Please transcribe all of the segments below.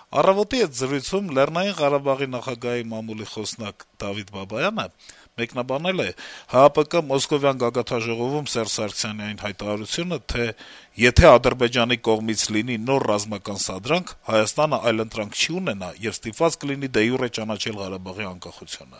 «Առավոտ»-ի հետ զրույցում Լեռնային Ղարաբաղի նախագահի մամուլի խոսնակ Դավիթ Բաբայանը մեկնաբանել է ՀԱՊԿ Մոսկովյան գագաթնաժողովում Սերժ Սարգսյանի այն հայտարարությունը, թե եթե Ադրբեջանի կողմից լինի նոր ռազմական սադրանք, Հայաստանը այլընտրանք չի ունենա եւ ստիպված կլինի դե յուրե ճանաչել Ղարաբաղի անկախությունը: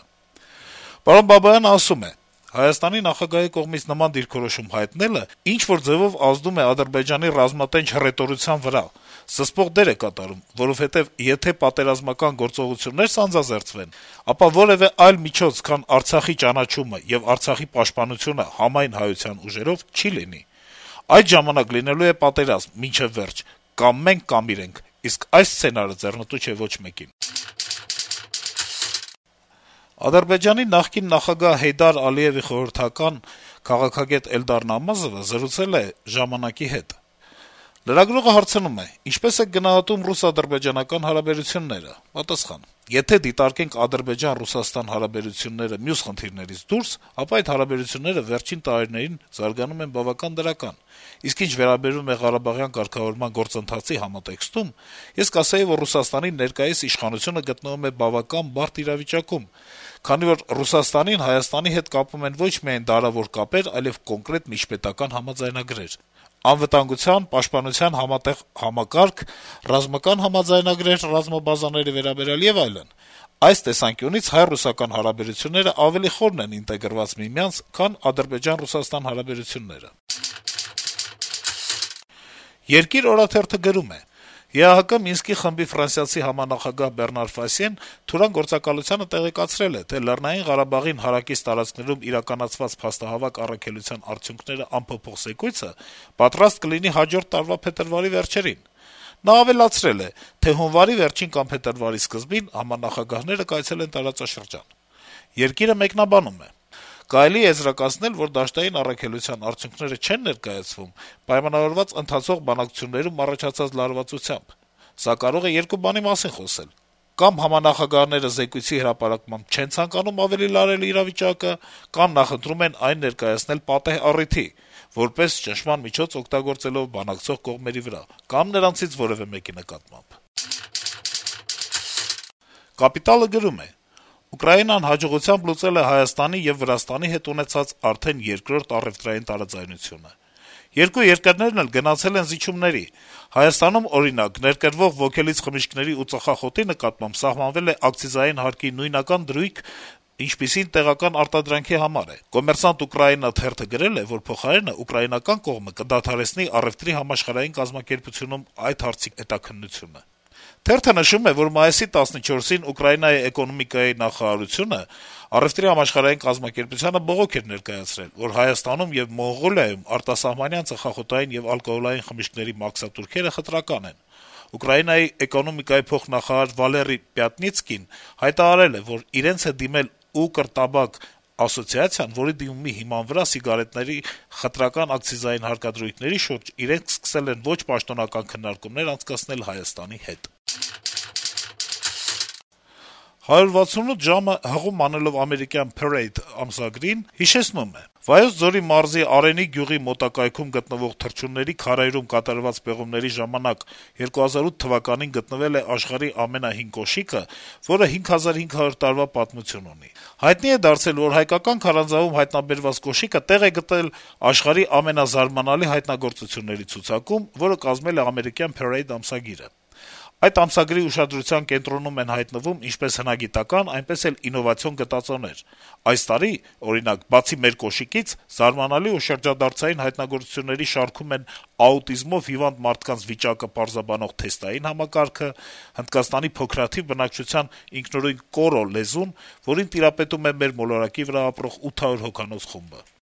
Պարոն Բաբայանը ասում է. - «Հայաստանի նախագահի կողմից նման դիրքորոշում հայտնելը ինչ-որ ձեւով ազդում է Ադրբեջանի ռազմատենչ հռետորության վրա, սսպող դեր է կատարում, որովհետեւ եթե պատերազմական գործողություններ սանձազերծվեն, ապա որեւէ այլ միջոց, քան Արցախի ճանաչումը եւ Արցախի պաշտպանությունը համայն հայության ուժերով չի լինի: Այդ ժամանակ լինելու է պատերազմ մինչեւ վերջ, կամ մենք, կամ իրենք, իսկ այս սցենարը ձեռնտու չէ ոչ մեկին»: Ադրբեջանի նախկին նախագահ Հեյդար Ալիեւի խորհրդական, քաղաքագետ Էլդար Նամազովը զրուցել է «Ժամանակ»-ի հետ: Լրագրողը հարցնում է. - «Ինչպե՞ս եք գնահատում ռուս-ադրբեջանական հարաբերությունները»: Պատասխան. - «Եթե դիտարկենք Ադրբեջան-Ռուսաստան հարաբերությունները մյուս խնդիրներից դուրս, ապա այդ հարաբերությունները վերջին տարիներին զարգանում են բավական դրական: Իսկ ինչ վերաբերում է Ղարաբաղյան կարգավորման գործընթացի համատեքստում, ես կասեի, որ Ռուսաստանի ներկայիս իշխանությունը գտնվում է բավական բարդ իրավիճակում, քանի որ Ռուսաստանին Հայաստանի հետ կապում են ոչ միայն դարավոր կապեր, այլեւ կոնկրետ միջպետական համաձայնագրեր: Անվտանգության, պաշտպանության համատեղ համակարգ, ռազմական համաձայնագրեր ռազմաբազաների վերաբերյալ եւ այլն: Այս տեսանկյունից հայ-ռուսական հարաբերությունները ավելի խորն են ինտեգրված միմյանց, քան Ադրբեջան-Ռուսաստան հարաբերությունները»: «Երկիր» օրաթերթը գրում է. - «ԵԱՀԿ Մինսկի խմբի ֆրանսիացի համանախագահ Բեռնար Ֆասիեն Թուրան գործակալությանը տեղեկացրել է, թե Լեռնային Ղարաբաղին հարակից տարածքներում իրականացված փաստահավաք առաքելության արդյունքները անփոփոխ զեկույցը պատրաստ կլինի հաջորդ տարվա փետրվարի վերջերին: Նա ավելացրել է, թե հունվարի վերջին կամ փետրվարի սկզբին համանախագահները կայցելեն տարածաշրջան: «Երկիր»-ը մեկնաբանում է. - «Կարելի է եզրակացնել, որ դաշտային առաքելության արդյունքները չեն ներկայացվում պայմանավորված ընթացող բանակցություններում առաջացած լարվածությամբ: Սա կարող է երկու բանի մասին խոսել. կամ համանախագահները զեկույցի հրապարակմամբ չեն ցանկանում ավելի լարել իրավիճակը, կամ նախընտրում են այն ներկայացնել պատեհ առիթի, որպես ճնշման միջոց օգտագործելով բանակցող կողմերի վրա, կամ նրանցից որեւէ մեկի նկատմամբ»: «Կապիտալ»-ը գրում է. - «Ուկրաինան հաջողությամբ լուծել է Հայաստանի եւ Վրաստանի հետ ունեցած արդեն երկրորդ առեւտրային տարաձայնությունը: Երկու երկրներն էլ գնացել են զիջումների: Հայաստանում, օրինակ, ներկրվող ոգելից խմիչքների ու ծխախոտի նկատմամբ սահմանվել է ակցիզային հարկի նույնական դրույթ, ինչպիսին տեղական արտադրանքի համար է: «Կոմերսանտ Ուկրաինա» թերթը գրել է, որ փոխարենը ուկրաինական կողմը կդադարեցնի առեւտրի համաշխարհային կազմակերպությունում այդ հարցի հետաքննությունը: Թերթը նշում է, որ մայիսի 14-ին Ուկրաինայի էկոնոմիկայի նախարարությունը Առեւտրի համաշխարհային կազմակերպությանը բողոք էր ներկայացրել, որ Հայաստանում եւ Մոնղոլիայում արտասահմանյան ծխախոտային եւ ալկոհոլային խմիչքների մաքսատուրքերը խտրական են: Ուկրաինայի էկոնոմիկայի փոխնախարար Վալերի Պյատնիցկին հայտարարել է, որ իրենց է դիմել «Укрտաբակ» ասոցիացիան, որի դիմումի հիման վրա սիգարետների խտրական ակցիզային հարկադրույթների շուրջ իրենք սկսել են ոչ պաշտոնական քննարկումներ անցկացնել Հայաստանի հետ»: «168 ժամ»-ը հղում անելով ամերիկյան Parade ամսագրին հիշեցնում է. - «Վայոց ձորի մարզի Արենի գյուղի մոտակայքում գտնվող թռչունների քարայրում կատարված պեղումների ժամանակ 2008 թվականին գտնվել է աշխարհի ամենահին կոշիկը, որը 5500 տարվա պատմություն ունի: Հայտնի է դարձել, որ հայկական քարանձավում հայտնաբերված կոշիկը տեղ է գտել աշխարհի ամենազարմանալի հայտնագործությունների ցուցակում, որը կազմել է ամերիկյան Parade ամսագիրը: Այդ ամսագրի ուշադրության կենտրոնում են հայտնվում ինչպես հնագիտական, այնպես էլ ինովացիոն գտածոներ: Այս տարի, օրինակ, բացի մեր կոշիկից, զարմանալի ու շրջադարձային հայտնագործությունների շարքում են աուտիզմով հիվանդ մարդկանց վիճակը պարզաբանող թեստային համակարգը, Հնդկաստանի փոքրաթիվ բնակչության ինքնուրույն «կորո» լեզուն, որին տիրապետում է մեր մոլորակի վրա ապրող 800 հոգանոց խումբը»: